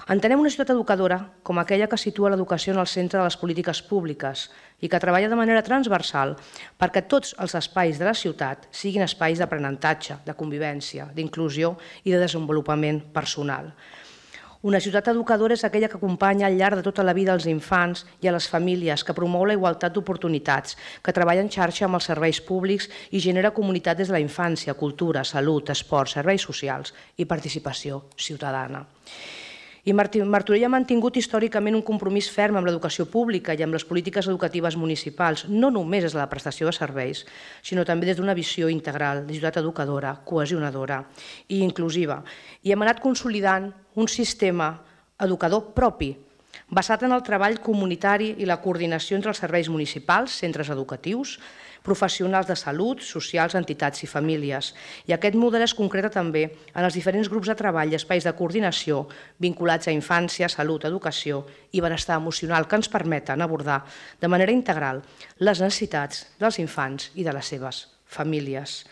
Entenem una ciutat educadora com aquella que situa l'educació en el centre de les polítiques públiques i que treballa de manera transversal perquè tots els espais de la ciutat siguin espais d'aprenentatge, de convivència, d'inclusió i de desenvolupament personal. Una ciutat educadora és aquella que acompanya al llarg de tota la vida als infants i a les famílies, que promou la igualtat d'oportunitats, que treballa en xarxa amb els serveis públics i genera comunitat des de la infància, cultura, salut, esport, serveis socials i participació ciutadana. I Martorell ha mantingut històricament un compromís ferm amb l'educació pública i amb les polítiques educatives municipals, no només des de la prestació de serveis, sinó també des d'una visió integral de ciutat educadora, cohesionadora i inclusiva. I hem anat consolidant un sistema educador propi, basat en el treball comunitari i la coordinació entre els serveis municipals, centres educatius, professionals de salut, socials, entitats i famílies. I aquest model es concreta també en els diferents grups de treball i espais de coordinació vinculats a infància, salut, educació i benestar emocional que ens permeten abordar de manera integral les necessitats dels infants i de les seves famílies.